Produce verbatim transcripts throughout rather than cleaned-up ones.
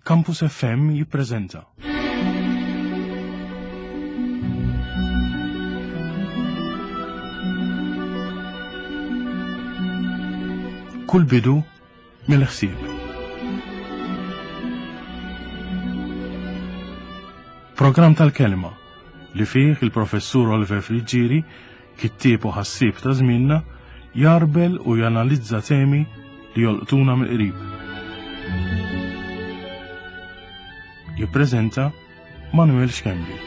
Campus F M jippreżenta. Kull bidu mill-ħsieb. Programm tal-kelma li fih il-professur Oliver Friggieri, kittieb u ħassieb ta' żmienna, jarbel u janalizza temi li jolqtuna mill-qrib. Jippreżenta Manuel Schembri.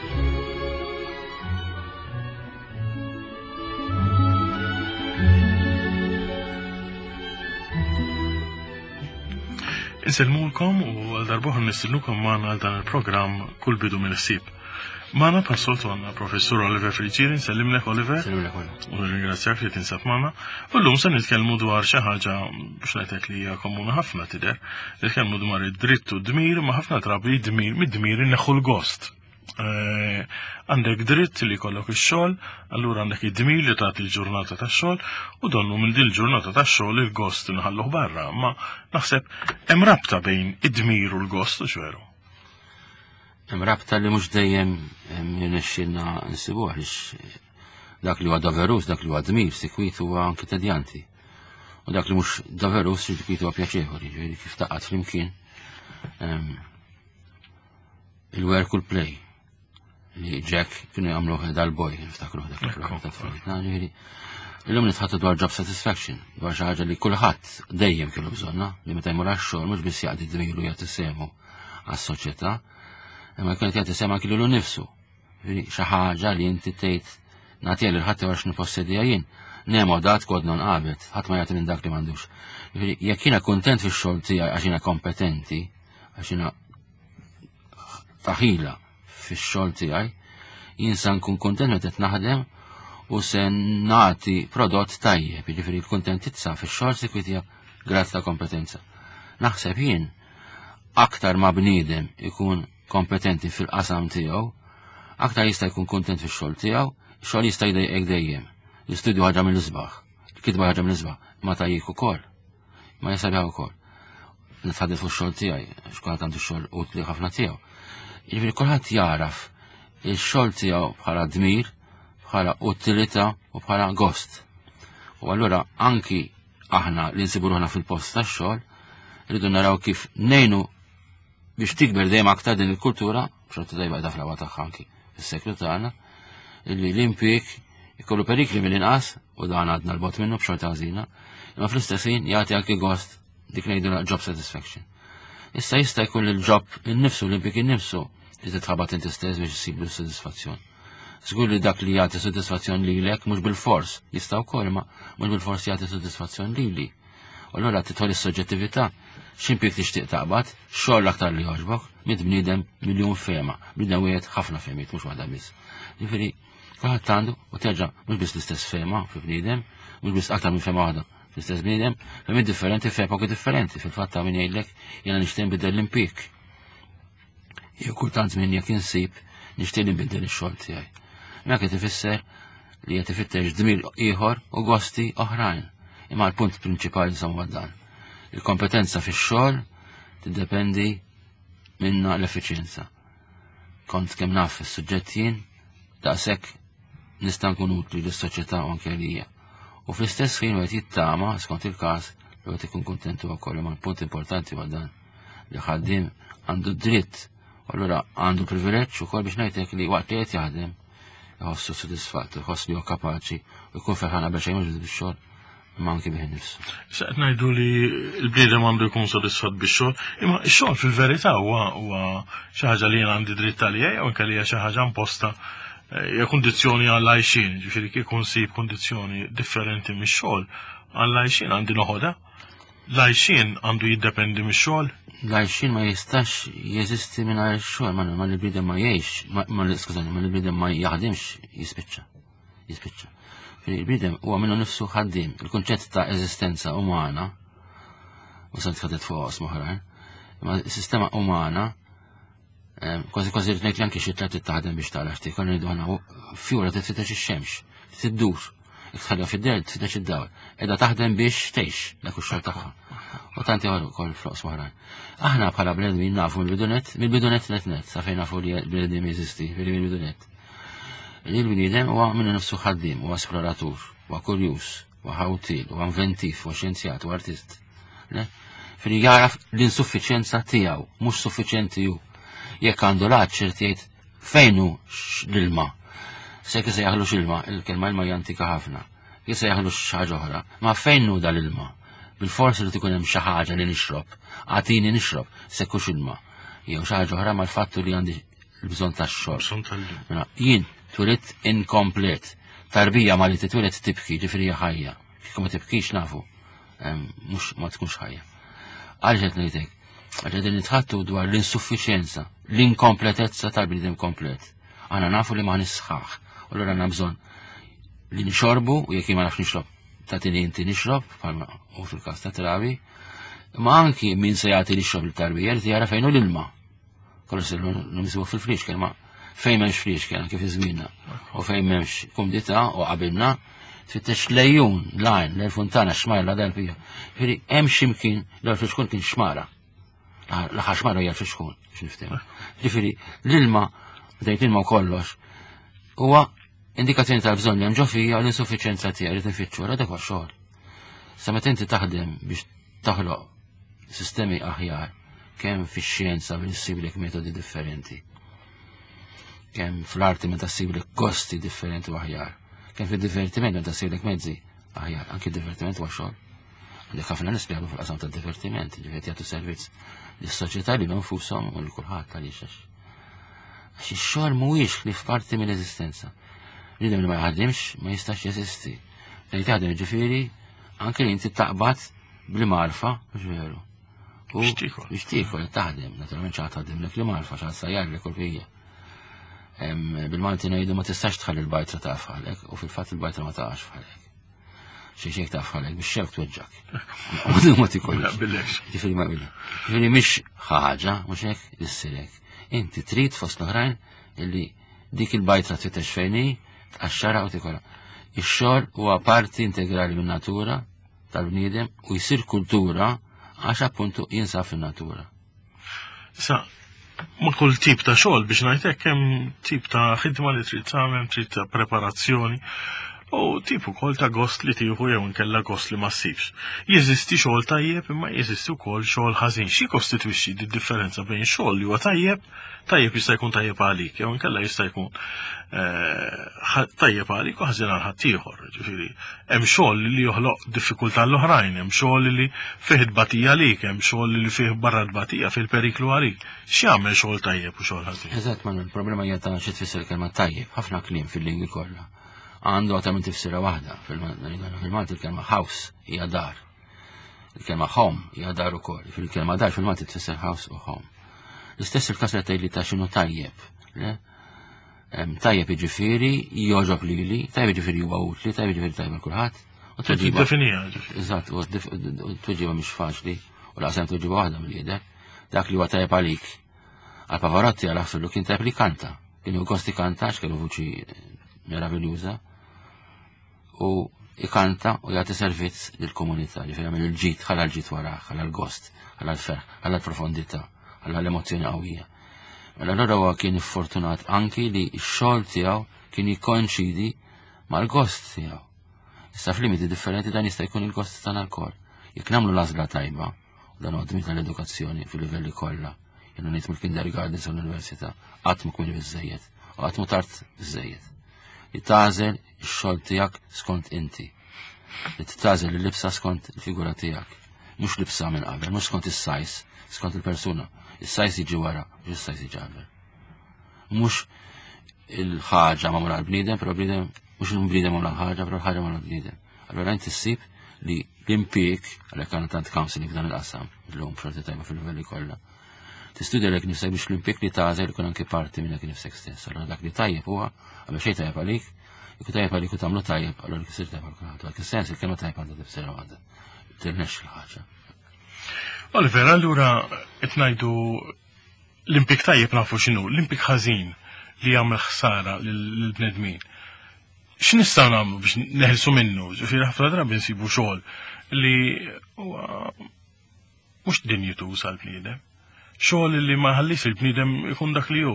Insellmulkom u għal darbohra nistennukom magħna għal dan il-programm Kull bidu mill-ħsieb. Magħna bħas-soltu għandna professur Oliver Friggieri, nsellimlek Oliver. Nsellimlek Oliver. U nirringrazzjak li tinsab magħna. U llum se nitkellmu dwar xi ħaġa biex ngħidlek li hija komuni ħafna tidher. Nitkellmu dwar id-dritt u d-dmir, ma ħafna drabi d-dmir, mid-dmir inneħħu l-gost. Eh, għandek dritt li jkollok ix-xogħol, allura għandek id-dmir li tagħti l-ġurnata tax-xogħol, u donnu minn din il-ġurnata tax-xogħol il-gost inħalluh barra, ma naħseb hemm rabta bejn id-dmir u l-gost, u x'veru? Hemm rabta li mhux dejjem jirnexxielna nsibuha, għaliex dak li huwa doverus, dak li huwa dmir, sikwit huwa anki tedjanti. U dak li mhux doverus, sikwit huwa pjaċevoli, ġifieri kif taqgħod flimkien, ehm, il-work u l-play li Jack kienu jagħmluh dal-boy, niftakruh dak il-programm ta' tfulitna, ġifieri. Illum nitħattu dwar job satisfaction, dwar xi ħaġa li kulħadd dejjem kellu bżonna, li meta jmur għax-xogħol mhux biss jaqdi dmiru jagħti sehmu għas-soċjetà, imma jkun qed jagħti sehem anki lilu nnifsu. Ġifieri xi ħaġa li inti tgħid nagħtiha lil ħadd għax nippossedija jien. Nemo dat kod non qabet, ħadd ma jagħti minn dak li m'għandux. Ġifieri jekk jiena kuntent fix-xogħol tiegħi għax jiena kompetenti, għax jiena taħila fix-xogħol tiegħi, jien sa nkun kuntent meta qed naħdem u se nagħti prodott tajjeb, jiġifieri l-kuntentizza fix-xogħol sikwit hija grad ta' kompetenza. Naħseb jien aktar ma bniedem ikun kompetenti fil-qasam tiegħu, aktar jista' jkun kuntent fix-xogħol tiegħu, ix-xogħol jista' jdejqek dejjem. L-istudju ħaġa mill-isbaħ, il-kitba ħaġa mill-isbaħ, ma tajjik ukoll, ma jisabiħ ukoll. Nitħaddef fuq ix-xogħol tiegħi, għax kulħadd għandu xogħol utli ħafna tiegħu. Jiġifieri kulħadd jaraf ix-xogħol tiegħu bħala dmir, bħala utilità u bħala gost. U allura anki aħna li nsibu ruħna fil-post tax-xogħol, rridu naraw kif ngħinu biex tikber dejjem aktar din il-kultura, xorta dejjem qiegħda fl-aqwa tagħha anki fis-seklu tagħna, illi l-impjieg ikollu perikli mill-inqas, u dan għadna l-bot minnu b'xorta ħażina, imma fl-istess ħin jagħti anki gost dik ngħidu job satisfaction. Issa jista' jkun il-job innifsu, l-impjieg innifsu, li titħabat inti stess biex issiblu s-sodisfazzjon. Żgur li dak li jagħti sodisfazzjon lilek mhux bil-fors, jista' wkoll ma mhux bil-fors jagħti sodisfazzjon lili. U allura tidħol is-soġġettività, x'impjieg tixtieq taqbad, xogħol l-aktar li jogħġbok, miet bniedem miljun fehma, bniedem wieħed ħafna fehmiet mhux waħda biss. Jiġifieri kulħadd għandu u terġa' mhux biss l-istess fehma fi bniedem, mhux biss aktar minn fehma waħda fl-istess bniedem, fehmiet differenti f'epoki differenti. Fil-fatt ta' min jgħidlek jiena nixtieq nbiddel l-impjieg. Jew kultant min jekk insib nixtieq nbiddel ix-xogħol tiegħi. Dak qed ifisser li qed ifittex dmir ieħor u gosti oħrajn. Imma l-punt prinċipali insomma dan. Il-kompetenza fix-xogħol tiddependi minna l-effiċjenza. Kont kemm naf is-suġġett jien, daqshekk nista' nkun utli lis-soċjetà u anke lija. U fl-istess ħin wieħed jittama, skont il-każ, li wieħed ikun kuntent huwa wkoll. Imma l-punt importanti huwa dan li ħaddiem għandu dritt, u allura għandu privileġġ ukoll biex ngħidlek li waqt li qed jaħdem iħossu sodisfatt, iħoss li huwa kapaċi u jkun ferħan qabel xejn mhux bix-xogħol, imma anki bih innifsu. Issa qed ngħidu li l-bniedem għandu jkun sodisfatt bix-xogħol, imma x-xogħol fil-verità huwa, huwa xi ħaġa li jien għandi dritt għaliha jew anke li hija xi ħaġa imposta, eh, hija kundizzjoni għall għajxien, ġifieri kieku nsib kundizzjoni differenti mix-xogħol għall għajxien għandi noħodha. L-għajxien għandu jiddependi mix-xogħol? L-għajxien ma jistax jeżisti mingħajr ix-xogħol, ma, ma l-bniedem ma jgħix, ma, ma, skużani, ma l-bniedem ma jaħdimx jispiċċa. Jispiċċa. Il-bniedem huwa minnu nifsu ħaddiem. Il-kunċett ta' eżistenza umana, u sa tħaddet fuq oqsma oħrajn, imma s-sistema umana, ehm, kważi kważi rrid ngħid li anke xi tliet taħdem biex tara x'tikol, ngħidu aħna fjura titfittex ix-xemx, tiddur. Tħallha fid-dell tfittex id-dawl. Qiegħda taħdem biex tgħix dak ix-xogħol tagħha. U tanti ieħor ukoll f'oqsma oħrajn. Aħna bħala bnedmin nafu mill-bidunet, mill-bidunet net net, sa fejn nafu li l-bnedmin jeżisti, mill-bidunet. Li l-bniedem huwa minnu nifsu ħaddiem, huwa esploratur, huwa kurjuż, huwa ħawtil, huwa inventiv, huwa xjenzjat, huwa artist. Le? Fili jaraf l-insuffiċenza tiegħu, mhux suffiċenti hu. Jekk għandu l-għatx irid jgħid fejn hu l-ilma. Se kif se jaħlu ilma, il-kelma ilma hija antika ħafna. Kif se jaħlu xi ħaġa oħra, ma fejn hu dal-ilma? Bil-forsi li tkun hemm xi ħaġa li nixrob, agħtini nixrob, se kux ilma. Jew xi ħaġa oħra mal-fattu li għandi l-bżonn tax-xorb. Bżonn tal-ilma. Mela, jien twelidt inkomplet. Tarbija ma li titwieled tibki, ġifieri hija ħajja. Kieku ma tibkix nafu, em, mhux ma tkunx ħajja. Għaliex qed ngħidlek? Għax qegħdin nitħattu dwar l-insuffiċjenza, l-inkompletezza tal-bniedem komplet. Aħna nafu li ma nisħaħ. U allura għandna bżonn li nixorbu, u jekk jien ma nafx nixrob, tagħtini inti nixrob, bħalma u fil-każ ta' trabi, ma anki min se jagħti nixrob l-tarbija li jara fejn hu l-ilma. Kollox se nimsuhu fil-flixken, ma fejn m'hemmx flixken, anke fi żmienna, u fejn m'hemmx kumdità u qabilna, tfittex lejun, lajn, l-funtana, xmara, la dal-pija. Ġifieri hemm x'imkien l-flixkun kien xmara. L-aħħar xmara hija flixkun, biex niftehmu. Ġifieri l-ilma, bdejt ilma u kollox, huwa indikazzjoni tal-bżonn li hemm ġo fija u l-insuffiċenza tiegħi li tinfittxu, għara dak huwa xogħol. Sa meta inti taħdem biex taħloq sistemi aħjar, kemm fix-xjenza biex issiblek metodi differenti, kemm fl-arti meta ssiblek gosti differenti u aħjar, kemm fid-divertiment meta ssiblek mezzi aħjar, anki d-divertiment huwa xogħol. Għandek ħafna nies li jaħdmu fil-qasam tad-divertiment, ġifieri jagħtu servizz lis-soċjetà li nfushom u lil kulħadd għaliex għax. Għax ix-xogħol mhuwiex li f'parti mill-eżistenza. Bniedem li ma jaħdimx ma jistax jeżisti. Li taħdem ġifieri anke li inti taqbad bl-marfa, mhux veru. U Biex tiekol. Biex tiekol taħdem, naturalment xi ħadd taħdimlek l-marfa, xi ħadd sajjarlek u l-bqija. Em, Bil-Malti ngħidu ma tistax tħalli l-bajtra ta' fħalek u fil-fatt il-bajtra ma taqax fħalek. Xi xejn ta' fħalek biex xewk tweġġak. U ma tikolx. Ma jaqbillekx. Ġifieri ma jaqbillek. Ġifieri mhix ħaġa, mhux hekk issirek. Inti trid fost l-oħrajn illi dik il-bajtra tfittex fejn hi, tqaxxarha u tikolha. Ix-xogħol huwa parti integrali min-natura tal-bniedem u jsir kultura għax appuntu jinsab fin-natura. Sa, ma kull tip ta' xogħol biex ngħidlek hemm tip ta' ħidma li trid tagħmel, trid ta' preparazzjoni u tip ukoll ta' gost li tieħu jew inkella gost li ma ssibx. Jeżisti xogħol tajjeb imma jeżisti wkoll xogħol ħażin. Xi kostitwixxi di differenza bejn xogħol li huwa tajjeb, tajjeb jista' jkun tajjeb għalik, jew inkella jista' jkun eh, ħa- tajjeb għalik u ħażin għal ħaddieħor. Ġifieri, hemm xogħol li joħloq diffikultà l-oħrajn, hemm xogħol li fih tbatija għalik, hemm xogħol li fih barra tbatija fil-periklu għalik. X'jagħmel xogħol tajjeb u xogħol ħażin? Eżatt, ma il-problema hija ta' xi tfisser kelma tajjeb, ħafna kliem fil-lingwi kollha. Għandu għata minn tifsira waħda, fil-Malti il-kelma house hija dar. Il-kelma home hija dar ukoll. Fil-kelma dar fil-Malti tfisser house u home. L-istess il-każ li tgħidli ta' x'inhu tajjeb. Le? Em, Tajjeb jiġifieri jogħġob lili, tajjeb jiġifieri huwa utli, tajjeb jiġifieri tajjeb għal kulħadd. U tweġiba- Tiddefinija, ġifieri. Eżatt, u dif- u tweġiba mhix faċli, u laqsem tweġiba waħda mill-jidher. Dak li huwa tajjeb għalik. Għal Pavarotti għal Affillu kien tajjeb li kanta. Kien hu gosti kanta, għax kellu vuċi meraviljuża. U ikanta u jagħti servizz lill-komunità, ġifieri jagħmel il-ġid, ħalla l-ġid warah, ħalla l-gost, ħalla l-ferħ, ħalla l-profondità, ħalla l-emozzjoni qawwija. Mela allura huwa kien fortunat anki li x-xogħol tiegħu kien jikkonċidi mal-gost tiegħu. Issa f'limiti differenti dan jista' jkun il-gost tagħna lkoll. Jekk nagħmlu l-għażla tajba, u dan huwa dmir tal-edukazzjoni fil-livelli kollha, jiena ngħid mill-kindergarten sa l-università, qatt ma kmieni biżejjed, u qatt ma tard biżejjed. Li tagħżel ix-xogħol tiegħek skont inti. Li tagħżel il-libsa skont il-figura tiegħek. Mhux libsa minn qabel, mhux skont is-size, skont il-persuna. Is-size jiġi wara, mhux is-size jiġi qabel. Mhux il-ħaġa magħmula għall-bniedem, però bniedem mhux il-bniedem magħmula ħaġa, però l-ħaġa magħmula għall-bniedem. Allora inti ssib li l-impjieg, għalhekk għandna tant counseling f'dan il-qasam, illum xorti tajba fil-livelli kollha. Tistudja lek nifsek biex l-impjieg li tagħżel ikun anke parti minn dak nifsek stess. Allora dak li tajjeb huwa, qabel xejn tajjeb għalik, jekk tajjeb għalik u tagħmlu tajjeb, allora kisir tajjeb għal kulħadd. Dak is-sens il-kelma tajjeb għandha tifsira waħda. Tirnexx il-ħaġa. Oliver, allura qed ngħidu l-impjieg tajjeb nafu x'inhu, l-impjieg ħażin li jagħmel ħsara lill-bnedmin. X'nistgħu nagħmlu biex neħilsu minnu? Ġifieri ħafna drabi nsibu xogħol li huwa mhux dinjituż għall-bniedem. Xogħol li ma ħallix il-bniedem ikun dak li hu,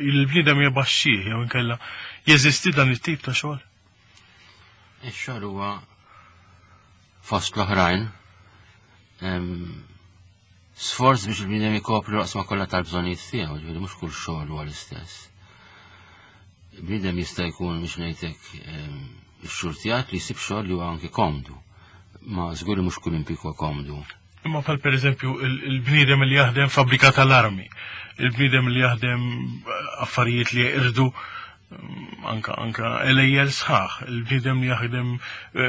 il-bniedem jebaxxih jew inkella jeżisti dan it-tip ta' xogħol. Ix-xogħol huwa fost l-oħrajn sforz biex il-bniedem ikopri l-oqsma kollha tal-bżonnijiet tiegħu, ġifieri mhux kull xogħol huwa l-istess. Il-bniedem jista' jkun biex ngħidlek ix-xurtjat li jsib xogħol li huwa anki komdu. Ma żgur li mhux kull impjieg huwa komdu. Imma bħal per eżempju il-bniedem li jaħdem fabbrika tal-armi, il-bniedem li jaħdem affarijiet li jirdu anka anka elejjel sħaħ, il-bniedem li jaħdem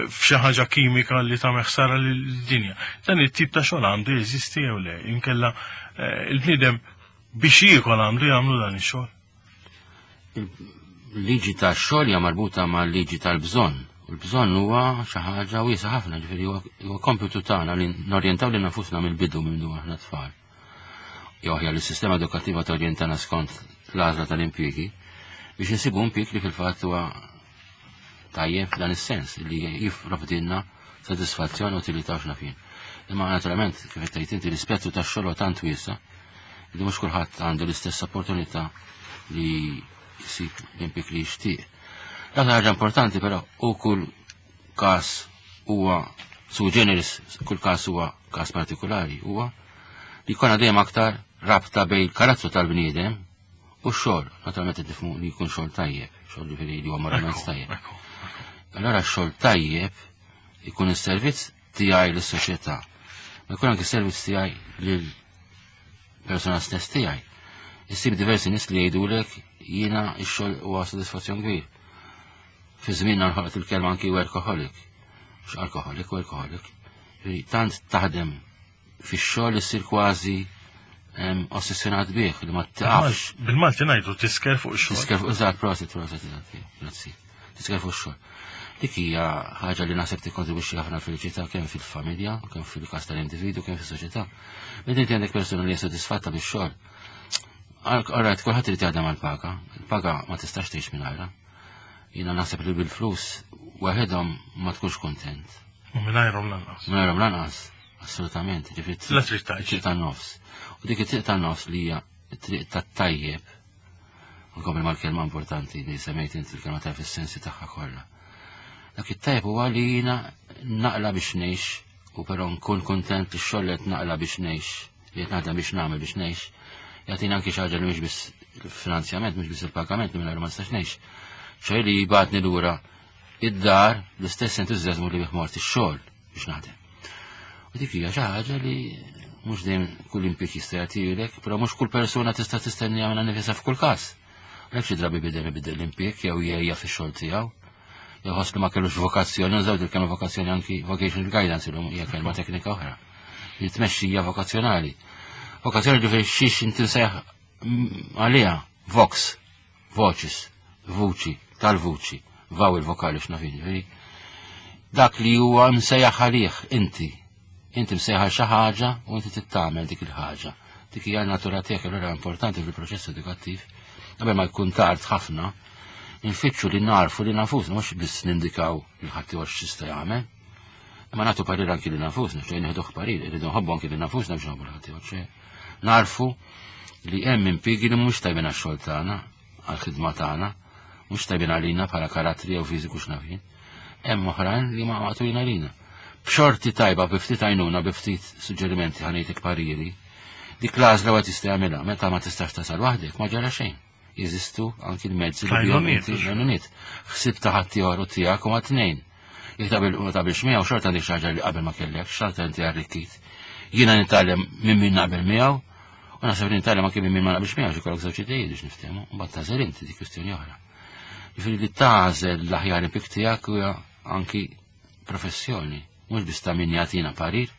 f'xi ħaġa kimika li tagħmel ħsara lid-dinja. Dan it-tip ta' xogħol għandu jeżisti jew le, inkella il-bniedem biex jiekol għandu jagħmlu dan ix-xogħol. Il-liġi tax-xogħol hija marbuta mal-liġi tal-bżonn. U l-bżonn huwa xi ħaġa wiesgħa ħafna, ġifieri huwa kompitu tagħna li norjentaw lil nafusna mill-bidu minn aħna tfal. Jew aħjar li s-sistema edukattiva torjentana skont l-għażla tal-impjiegi biex insibu impjieg li fil-fatt huwa tajjeb f'dan is-sens li jipprovdilna sodisfazzjon u utilità x'naf jien. Imma naturalment kif qed tgħid inti l-ispettru tax-xogħol huwa tant wiesa' li mhux kulħadd għandu l-istess opportunità li jsib l-impjieg li jixtieq. Dak ħaġa importanti però u kull każ huwa sui generis, kull każ huwa każ partikolari, huwa li jkollna dejjem aktar rabta bejn il-karattru tal-bniedem u x-xogħol. Naturalment qed nifhmu li jkun xogħol tajjeb, xogħol ġifieri li huwa moralment tajjeb. Allora x-xogħol tajjeb ikun is-servizz tiegħi lis-soċjetà. Ma jkun anke s-servizz tiegħi lill-persuna stess tiegħi. Issib diversi nies li jgħidulek jiena x-xogħol huwa sodisfazzjon kbir. Fi żmienna nħolqot il-kelma anki workaholic. Mhux alkoholik, workaholic. Tant taħdem fix-xogħol issir kważi ossessjonat bih li ma taqafx. Bil-Malti ngħidu tisker fuq ix-xogħol. Tisker fuq eżatt, prosit, prosit, eżatt, grazzi. Tisker fuq ix-xogħol. Dik hija ħaġa li naħseb tikkontribwixxi ħafna feliċità kemm fil-familja, kemm fil-każ tal-individu, kemm fis-soċjetà. Meta inti għandek persuna li hija sodisfatta bix-xogħol. Alright, kulħadd irid jaħdem għall-paga. Il-paga ma tistax tgħix mingħajrha. Jiena naħseb li bil-flus waħedhom ma tkunx kuntent. U mingħajrhom lanqas. Mingħajrhom lanqas, assolutament. Ġifieri La trid tgħix. Triq tan-nofs. U dik it-triq tan-nofs li hija t-triq tat-tajjeb, nkompli mal-kelma importanti li semmejt inti l-kelma tajjeb fis-sensi tagħha kollha. Dak it-tajjeb huwa li jiena naqla biex ngħix u però nkun kuntent li x-xogħol qed naqla biex ngħix, li qed naħdem biex nagħmel biex ngħix, jagħtina anki xi ħaġa li mhux biss il-finanzjament, mhux biss il-pagament li mingħajr ma nistax ngħix. ċoj li jibgħatni lura id-dar l-istess entużjażmu li bih mort ix-xogħol biex naħdem. U dik hija xi ħaġa li mhux dejjem kull impjieg jista' jagħtilek, però mhux kull persuna tista' tistennija minnha nifisha f'kull każ. Għalhekk xi drabi bidem ibidel l-impjieg jew jgħejja fix-xogħol tiegħu. Jew ħoss li ma kellux vokazzjoni, nużaw il kelma vokazzjoni anki vocational guidance illum hija kelma teknika oħra. Li tmexxija vokazzjonali. Vokazzjoni ġifieri xiex inti nsejjaħ għaliha, vox, vocis, vuċi, tal-vuċi, vaw il-vokali x'naf jien, ġifieri dak li huwa msejjaħ għalih inti. Inti msejjaħ għal xi ħaġa u inti tittamel dik il-ħaġa. Dik hija n-natura tiegħek, allura importanti fil-proċess edukattiv. Qabel ma jkun tard ħafna, infittxu li narfu li nafusna, mhux biss nindikaw lil ħaddieħor x'jista' jagħmel. Imma nagħtu parir anki li nafusna, ċoj nieħduh parir, irridu nħobbu anki li nafusna biex nħobbu l-ħaddieħor, ċoj narfu li hemm impjiegi li mhux tajbin għax-xogħol tagħna, għall-ħidma tagħna, mhux tajbin għalina bħala karattri jew fiżiku x'naf jien. Hemm oħrajn li ma maqtulin għalina. B'xorti tajba, bi ftit għajnuna, bi ftit suġġerimenti ħanejtek pariri, dik l-għażla wieħed jista' jagħmilha, meta ma tistax tasal waħdek ma ġara xejn. Jeżistu anki l-mezzi li bihom Għajnuniet, inti mhux? għajnuniet. Ħsib ta' ħaddieħor u tiegħek huma tnejn. Jekk taqbel ma taqbilx miegħu xorta għandek xi ħaġa li qabel ma kellek, xorta inti arrikkit. Jiena nitgħallem minn min naqbel miegħu, u naħseb li nitgħallem anki minn min ma naqbilx miegħu, xi jkollok żewġ idejiet biex niftehmu, u mbagħad tagħżel inti dik kwistjoni oħra. Jiġifieri li tagħżel l-aħjar impjieg tiegħek huwa anki professjoni, mhux biss ta' min jagħtina parir,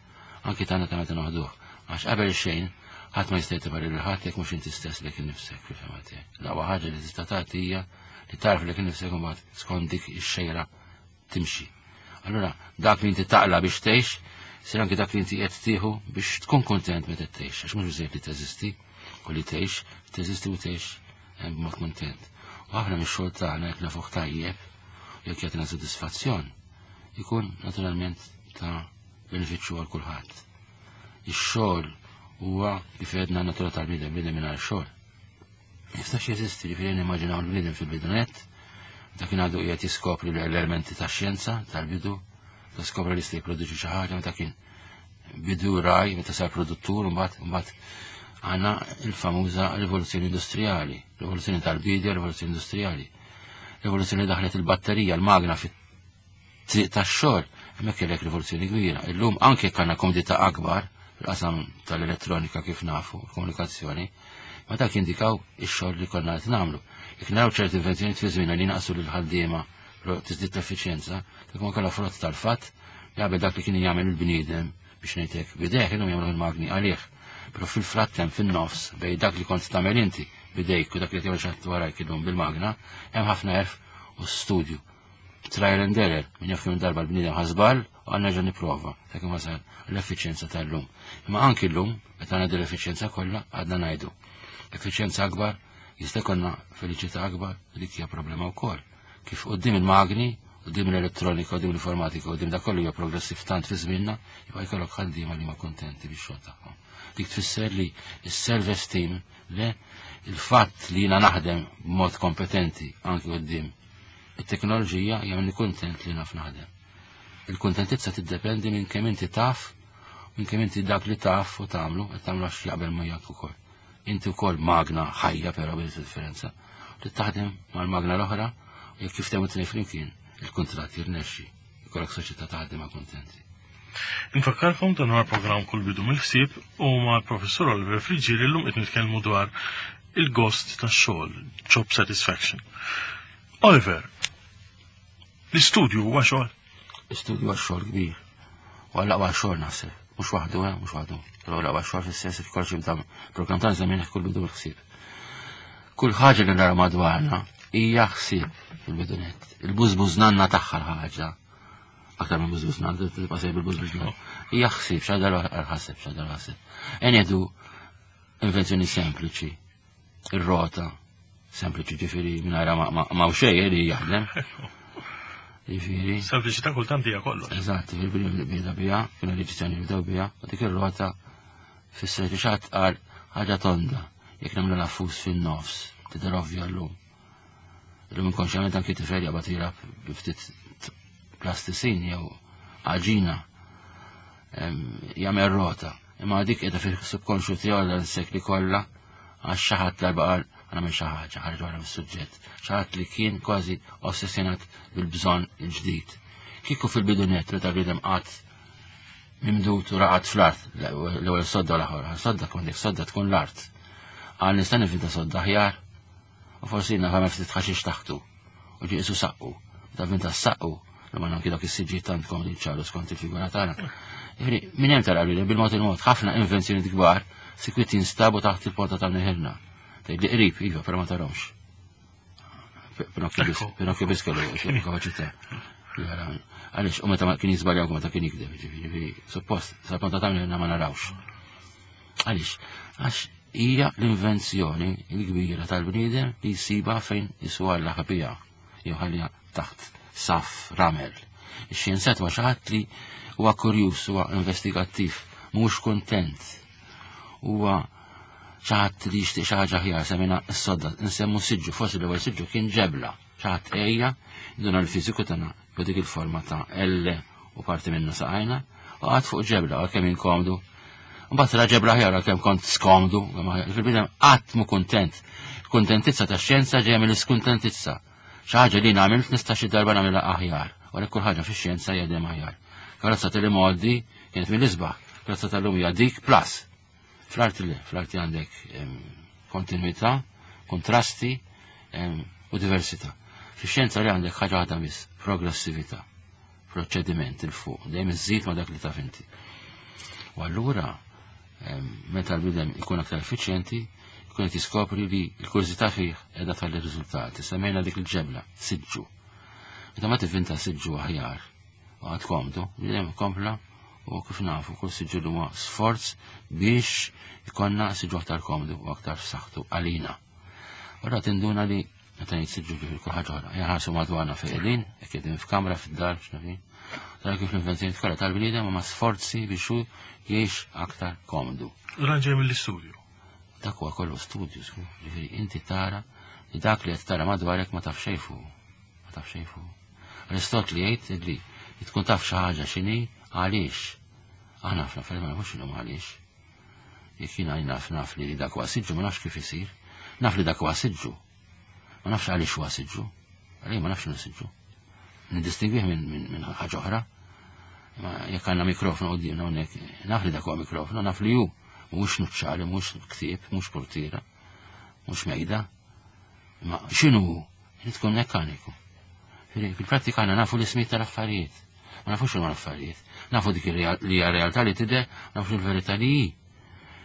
anki tagħna ta' meta noħduh. Għax qabel xejn ħadd ma jista' jagħti parir lil ħadd jekk mhux inti stess lek innifsek fil-fehma tiegħek. L-aqwa ħaġa li tista' tagħti hija li tarf lek innifsek u mbagħad skont dik ix-xejra timxi. Allura dak li inti taqla biex tgħix, sir anki dak li inti qed tieħu biex tkun kontent meta tgħix, għax mhux biżejjed li teżisti u li tgħix, teżisti u tgħix b'mod kontent. U ħafna mix-xogħol tagħna jekk nafuh tajjeb, Jekk jagħtina sodisfazzjon, ikun naturalment ta' benefiċċju għal kulħadd. Ix-xogħol huwa kif għedna natura tal-bniedem, bniedem mingħajr xogħol. Jistax jeżisti, ġifieri nimmaġinaw l-bniedem fil-bidunet, meta kien għadu qiegħed jiskopri l-elementi tax-xjenza tal-bidu, ta' skopra li jista' jipproduċi xi ħaġa, meta kien bidu raj, meta sar produttur, mbagħad mbagħad għandna il-famuża rivoluzzjoni industrijali, rivoluzzjoni tal-bidja, rivoluzzjoni industrijali. Rivoluzzjoni daħlet il-batterija, l-magna fit-triq tax-xogħol, hemmhekk kellek rivoluzzjoni kbira. Illum anke kellna komdità akbar fil-qasam tal-elettronika kif nafu, komunikazzjoni, ma dak jindikaw ix-xogħol li konna qed nagħmlu. Jekk naraw ċerti invenzjonijiet fi żmien li naqsu lil ħaddiema però tiżdied l-effiċjenza, dak ma kollha frott tal-fatt li qabel dak li kien jagħmel il-bniedem biex ngħidlek bidejh illum jagħmlu il-magni għalih. Però fil-frattem fin-nofs bejn dak li kont tagħmel inti bidejk u dak li tagħmel xi ħadd warajk illum bil-magna, hemm ħafna għerf u studju. Trial and error, min jaf kemm darba l-bniedem ħa żball u għandna ġa nipprova, ta' kemm wasal l-effiċjenza tal-lum. Imma anki llum, meta għandna l-effiċjenza kollha, għadna ngħidu. Effiċjenza akbar, jista' jkollna feliċità akbar, dik hija problema wkoll. Kif quddiem il-magni, quddiem l-elettronika, quddiem l-informatika, quddiem dak kollu hija progressiv tant fi żmienna, jibqa' jkollok ħaddiema li ma kontenti bix-xogħol tagħhom. Dik tfisser li s-self-esteem, le, il-fatt li jiena naħdem b'mod kompetenti anki quddiem it-teknoloġija jagħmilni kuntent li naf naħdem. Il-kuntentizza tiddependi minn kemm inti taf, minn kemm inti dak li taf u tagħmlu, qed tagħmlu għax jaqbel miegħek ukoll. Inti wkoll magna ħajja però bil differenza. Li taħdem mal-magna l-oħra u jekk kif tagħmlu tnejn flimkien, il-kuntratt jirnexxi. Ikollok soċjetà taħdem ma' kuntenti. Infakkarkom dan huwa programm Kull Bidu mill-Ħsieb u mal-Professur Oliver Friggieri llum qed nitkellmu dwar il-gost tax-xogħol, job satisfaction. Oliver, l-istudju huwa xogħol? L-istudju huwa xogħol kbir. U għall-aqwa xogħol naħseb. Mhux waħdu, eh, mhux waħdu. Però l-aqwa xogħol fis-sens li kollox jibda programm ta' żmien kull bidu ħsieb. Kull ħaġa li nara madwarna hija ħsieb fil-bidunet. Il-bużbuż nanna tagħha l-ħaġa. Aktar minn bużbuż nanna, tibqa' sejb il-bużbuż nanna. Hija ħsieb, x'għadha ħaseb, x'għadha ħaseb. Ngħidu invenzjoni sempliċi. Ir-rota, sempliċi ġifieri mingħajr ma ma xejn li jaħdem. Ġifieri. Sempliċità kultant hija kollox. Eżatt, fil-bidu bida bija, kienu l-Eġizzjani bdew bija, u dik ir-rota fisser li xi ħadd qal ħaġa tonda, jekk nagħmlu l-affus fin-nofs, tidher ovvja llum. Illum inkonxjament anki tifel jaqbad jilgħab bi ftit plastisin jew għaġina jagħmel rota. Imma dik qiegħda fil-subkonxju tiegħu dan is-sekli kollha għax xi ħadd darba qal għamel xi ħaġa, ħareġ wara mis-suġġett. Xi ħadd li kien kważi ossessjonat bil-bżonn il-ġdid. Kieku fil-bidunet meta bniedem qatt mimdut u raqad fl-art, l-ewwel sodda l-aħħar, sodda kont dik sodda tkun l-art. Għal nista' nivvinta sodda aħjar, u forsi naf ftit ħaxix taħtu, u ġie isu saqqu. Meta vinta saqqu, li ma anki dak is-siġġi tant komdi ċaru skont il-figura tagħna. Jiġifieri, minn hemm tara li bil-mod il-mod ħafna invenzjoni kbar sikwit jinstabu taħt il-ponta tal-neħirna. Tgħid li qrib, iva, però ma tarahomx. Pinocchio biss kellu kapaċità. Għaliex, u meta kien jiżbaljaw meta kien jikdeb, ġifieri, suppost, sal-ponta tal-neħirna ma narawx. Għaliex, għax hija l-invenzjoni l-kbira tal-bniedem li jsiba fejn jiswa l-ħabija, jew ħallija taħt saf ramel. Ix-xjenzat huwa xi ħadd li huwa kurjuż, huwa investigattiv, mhux kuntent. Huwa xi ħadd li jixtieq xi ħaġa aħjar, semmejna s-sodda, nsemmu siġġu, forsi l-ewwel siġġu kien ġebla. Xi ħadd ejja, duna l-fiżiku tagħna dik il-forma ta' L u parti minna saqajna, u qagħad fuq ġebla, għal kemm inkomdu. Mbagħad ra ġebla aħjar għal kemm kont skomdu, fil-bidem qatt mu kuntent. Kuntentizza tax-xjenza ġejja mill-iskuntentizza. Xi ħaġa li nagħmel nista' xi darba nagħmilha aħjar. U għalhekk kull ħaġa fix-xjenza hija dejjem aħjar. Karozza tal-imgħoddi kienet mill-isbaħ, karozza tal-lum hija dik plus. Fl-arti le, fl-arti għandek kontinuità, kontrasti u diversità. Fix-xjenza li għandek ħaġa waħda biss, progressività, proċediment 'il fuq, dejjem iżżid ma dak li taf inti. U allura meta l-bniedem ikun aktar effiċjenti, ikun qed jiskopri li l-kurżità fih qiegħda tħalli riżultati. Semmejna dik il-ġebla, siġġu. Meta ma tivvinta siġġu aħjar u għad komdu, bniedem kompla u kif nafu kull siġġu li huwa sforz biex ikonna siġġu aktar komdu u aktar f'saħħtu għalina. Ora tinduna li Meta ngħid siġġu ġifieri kull ħaġa oħra. Jaħarsu madwarna fejn qegħdin, jekk qegħdin f'kamra fid-dar x'nafin. Tara kif l-invenzjoni kollha tal-bniedem huma sforzi biex hu jgħix aktar komdu. U dan ġej mill-istudju. Dak huwa kollu studju, żgur. Ġifieri inti tara li dak li qed tara madwarek ma taf xejn fuq. Ma taf xejn fuq. Aristotli jgħid li tkun taf xi ħaġa x'inhi għaliex. Aħna ħafna affarijiet ma nafux x'inhom għaliex. Jekk jiena naf naf li dak huwa siġġu ma nafx kif isir. Naf li dak huwa siġġu. Ma nafx għaliex huwa siġġu. Għaliex ma nafx x'inhu siġġu. Nidistingwih minn min, min ħaġa oħra. Ma jekk għandna mikrofonu quddiemna hawnhekk, naf li dak huwa mikrofonu, naf li hu mhux nuċċali, mhux ktieb, mhux portiera, mhux mejda. Ma x'inhu hu? Irid tkun mekkaniku. Fil-prattika għandna nafu l-ismijiet tal-affarijiet. Ma nafux x'inhu l-affarijiet. Nafu dik li hija realtà li tidher, nafu l-verità li hi.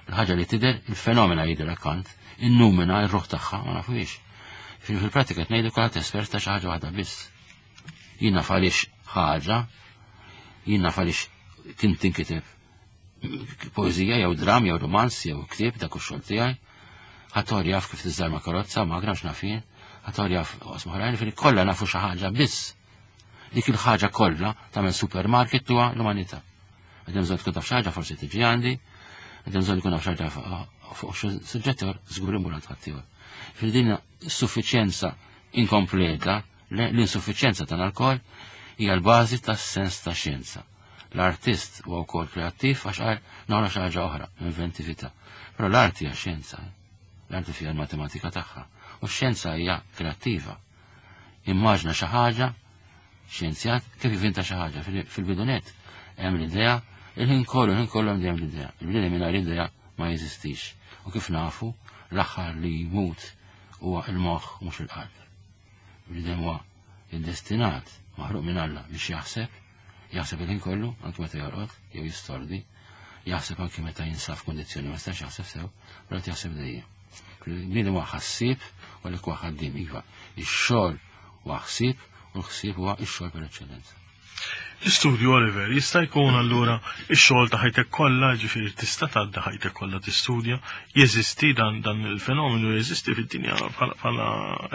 Il-ħaġa li tidher, il-fenomena jidher akkant, in-numena, ir-ruħ tagħha, ma nafuhiex. Fil-prattika qed ngħidu kulħadd espert ta' xi ħaġa waħda biss. Jien naf għaliex ħaġa, jien naf għaliex kien tinkiteb poeżija jew dram jew romanz jew ktieb dak ix-xogħol tiegħi. Ħadd jaf kif tiżżarma karozza, magna x'naf jien, ħadd jaf oqsma oħrajn, ġifieri kollha nafu xi ħaġa biss. Dik il-ħaġa kollha tagħmel supermarket tuha l-umanità. Għadem bżonn tkun taf xi ħaġa forsi tiġi għandi, għadem bżonn tkun taf xi ħaġa fuq xi suġġett ieħor żgur imur għand ħaddieħor. Fil din suffiċjenza inkompleta, l-insuffiċjenza tal-alkohol hija l-bażi tas-sens ta' xjenza. L-artist huwa wkoll kreattiv għax qal noħroġ xi ħaġa oħra, inventività. Però l-arti hija xjenza. L-arti fiha l-matematika tagħha. U x-xjenza hija kreattiva. Immaġna xi ħaġa, xjenzjat, kif jivvinta xi ħaġa. Fil-bidunet hemm l-idea, il-ħin kollu, il-ħin kollu hemm dejjem l-idea. Il-bniedem mingħajr idea ma jeżistix. U kif nafu, l-aħħar li jmut huwa il-moħħ mhux il-qalb. Il-bniedem huwa iddestinat, maħruq minn Alla biex jaħseb, jaħseb il-ħin kollu, anke meta jorqod, jew jistordi, jaħseb anke meta jinsab f'kundizzjoni ma jistax jaħseb sew, però jaħseb dejjem. Il-bniedem huwa ħassieb u għalhekk huwa ħaddiem, iva. Ix-xogħol huwa ħsieb u l-ħsieb huwa x-xogħol per eċċellenza. L-istudju, Oliver, jista' jkun allura x-xogħol ta' ħajtek kollha, ġifieri tista' tgħaddi ħajtek kollha tistudja, jeżisti dan dan il-fenomenu jeżisti fid-dinja bħala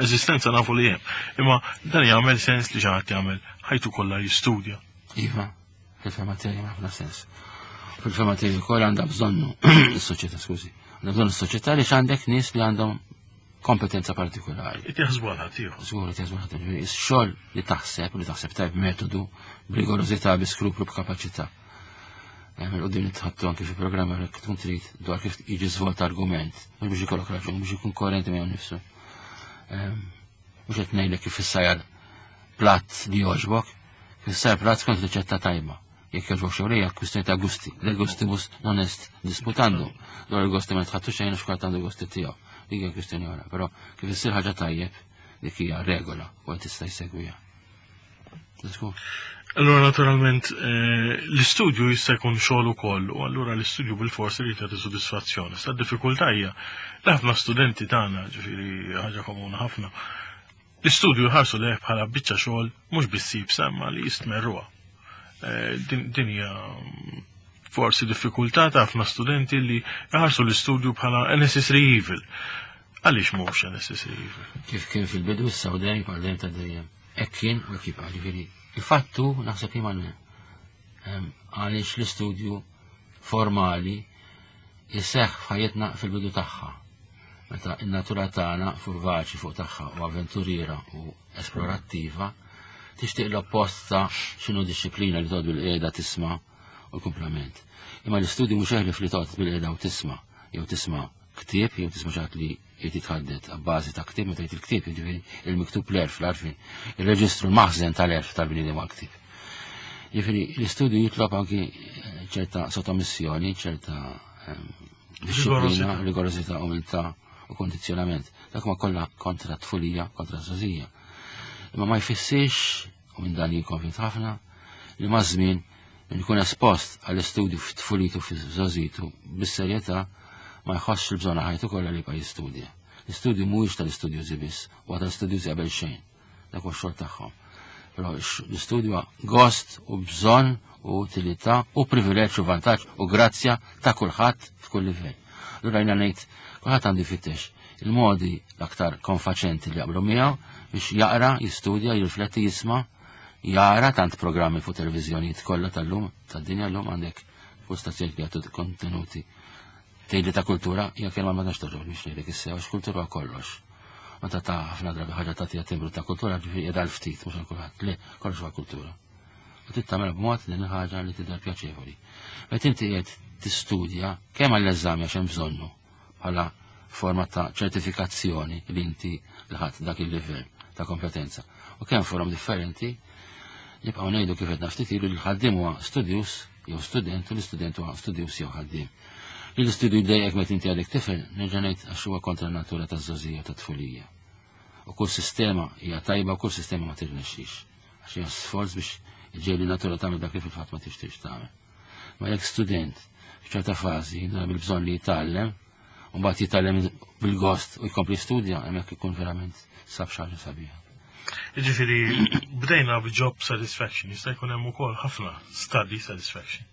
eżistenza nafu li hemm. Imma dan jagħmel sens li xi ħadd jagħmel ħajtu kollha jistudja. Iva, fil-fehma tiegħi ħafna sens. Fil-fehma tiegħi wkoll għandha bżonnu is-soċjetà, skużi. Għandha bżonn is-soċjetà li għandek nies li għandhom kompetenza partikolari. Qed jaħsbu għal ħaddieħor. Żgur qed jaħsbu għal ħaddieħor. Ix-xogħol li taħseb, li taħseb tajb metodu, b'rigorożità, bi skruplu, b'kapaċità. Hemm il-qudiem nitħattu anke fi programma jekk tkun trid dwar kif jiġi żvolt argument, mhux biex ikollok raġun, biex ikun koerenti miegħu nnifsu. Mhux qed ngħidlek kif issajjar platt li jogħġbok, kif issajjar platt skont riċetta tajba. Jekk jogħġbok xew lejja kwistjoni ta' gusti. Le gustibus non est disputandum. Dwar il-gosti ma tħattu xejn għax kulħadd għandu gosti tiegħu. Dik hija kwistjoni oħra, però kif issir ħaġa tajjeb dik hija regola u qed tista' jsegwiha. Allura naturalment l-istudju jista' jkun xogħol ukoll u allura l-istudju bil-forsi li tagħti sodisfazzjoni. Sa d-diffikultà hija li ħafna studenti tagħna, ġifieri ħaġa komuni ħafna, l-istudju jħarsu lejh bħala biċċa xogħol mhux biss iebsa imma li jistmerruha. Din hija forsi diffikultà ta' ħafna studenti li jħarsu l-istudju bħala a necessary evil. Għaliex mhux a necessary evil? Kif kien fil-bidu issa u dejjem bħal dejjem ta' dejjem. Hekk kien u hekk jibqa', ġifieri il-fattu naħseb li ma għaliex l-istudju formali jseħħ f'ħajjitna fil-bidu tagħha. Meta in-natura tagħna furvaċi fuq tagħha u avventuriera u esplorattiva, tixtieq l-oppost ta' x'inhu disċiplina li toqgħod bil-qiegħda tisma' u l-kumplament. Imma l-istudju mhux eħlif li toqgħod bil-qiegħda u tisma' jew tisma' ktieb jew tisma' xi ħadd li jrid jitħaddet abbażi ta' ktieb, meta jgħid il-ktieb, jiġifieri il-miktub l-għerf, l-għarfien, il-reġistru l-maħżen tal-għerf tal-bniedem għal ktieb. Jiġifieri l-istudju jitlob anki ċerta sottomissjoni, ċerta disċiplina, rigorożità, umiltà u kondizzjonament. Dak ma kollha kontra tfulija, kontra żgħożija. Imma ma jfissirx, u minn dan jien konvint ħafna, li ma' żmien min ikun espost għall-istudju f'tfulitu f'żgħożitu bis-serjetà ma jħossx il-bżonn ħajtu kollha li jibqa' jistudja. L-istudju mhuwiex tal-istudjużi biss, huwa tal-istudjużi qabel xejn. Dak huwa x-xogħol tagħhom. Però l-istudju huwa gost u bżonn u utilità u privileġġ u vantaġġ u grazzja ta' kulħadd f'kull livell. Allura jiena ngħid kulħadd għandu jfittex il-modi l-aktar konfaċenti li jaqblu miegħu biex jaqra, jistudja, jirrifletti, jisma', jara tant programmi fuq televiżjonijiet kollha tal-lum, tad-dinja llum għandek fuq stazzjoni li jagħtu kontenuti. Tgħidli ta' kultura, hija kelma ma tantx togħġobni biex ngħidlek issa għax kultura huwa kollox. Meta ta' ħafna drabi ħaġa tagħtiha timbru ta' kultura ġifieri qiegħda l-ftit mhux għal kulħadd. Le, kollox huwa kultura. U trid tagħmel b'mod din il-ħaġa li tidher pjaċevoli. Meta inti qiegħed tistudja kemm għall-eżami għax hemm bżonnu bħala forma ta' ċertifikazzjoni li inti lħaqt dak il-livell ta' kompetenza. U kemm forom differenti nibqgħu ngħidu kif qed ftit ilu li l-ħaddiem huwa studjus jew student u l-istudent huwa studjus jew ħaddiem. Li l-istudju jdejjek meta inti għadek tifel, nerġa' ngħid għax huwa kontra n-natura taż-żgħożija tat-tfulija. U kull sistema hija tajba u kull sistema ma tirnexxix. Għax hija sforz biex iġġiegħel in-natura tagħmel dak li fil-fatt ma tixtieqx tagħmel. Ma jekk student f'ċerta fażi jinduna bil-bżonn li jitgħallem, u mbagħad jitgħallem bil-gost u jkompli studja, hemmhekk ikun verament sab xi ħaġa sabiħa. Jiġifieri bdejna b'job satisfaction, jista' jkun hemm ukoll ħafna study satisfaction.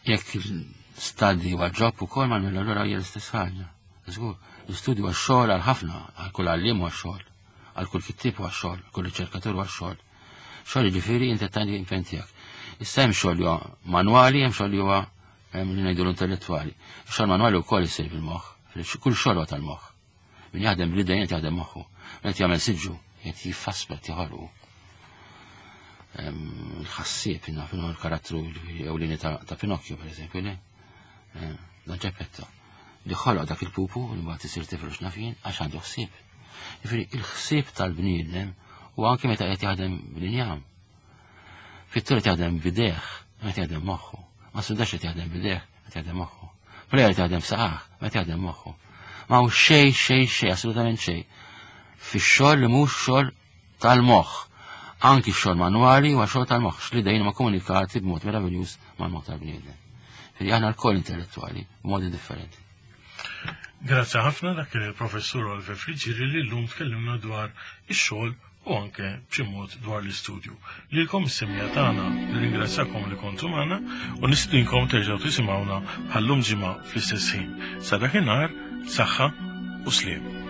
Jekk study huwa job ukoll ma allura hija l-istess ħaġa. Żgur, l-istudju huwa xogħol għal ħafna, għal kull għalliem huwa xogħol, għal kull kittieb huwa xogħol, kull riċerkatur huwa xogħol. Xogħol jiġifieri inti tagħti impenn tiegħek. Issa hemm xogħol li huwa manwali, hemm xogħol li huwa li ngħidu l-intellettwali. Xogħol manwali wkoll isir bil-moħħ, kull xogħol huwa tal-moħħ. Min jaħdem bl-idejn qed jaħdem moħħu. Min qed jagħmel siġġu, qed jiffasslu qed joħolqu. Il-ħassieb naf l-karattru ewlieni ta' Pinocchio per eżempju, le? Dan Geppetto. Li ħoloq dak il-pupu li mbagħad isir tifel x'naf jien għax għandu ħsieb. Jiġifieri il-ħsieb tal-bniedem u anke meta qed jaħdem bl-injam. Pittur qed jaħdem b'idejh, meta jaħdem moħħu. Ma sudax qed jaħdem b'idejh, meta jaħdem moħħu. Plejer qed jaħdem b'saqajh, meta jaħdem moħħu. Ma hu xejn, xejn, xejn, assolutament xejn. Fix-xogħol li mhux xogħol tal-moħħ. Anki x-xogħol manwali huwa xogħol tal-moħħ, x'l-idejn ma komunikati b'mod meraviljuż mal-moħħ tal-bniedem. Ġifieri aħna lkoll intellettwali b'modi differenti. Grazzi ħafna dak kien il-professur Oliver Friggieri li llum tkellimna dwar ix-xogħol u anke b'xi mod dwar l-istudju. Lilkom is-semmiegħa tagħna nirringrazzjakom li kontu magħna u nistedinkom terġgħu tisimgħuna bħallum ġimgħa fl-istess ħin. Sa dakinhar, saħħa u sliem.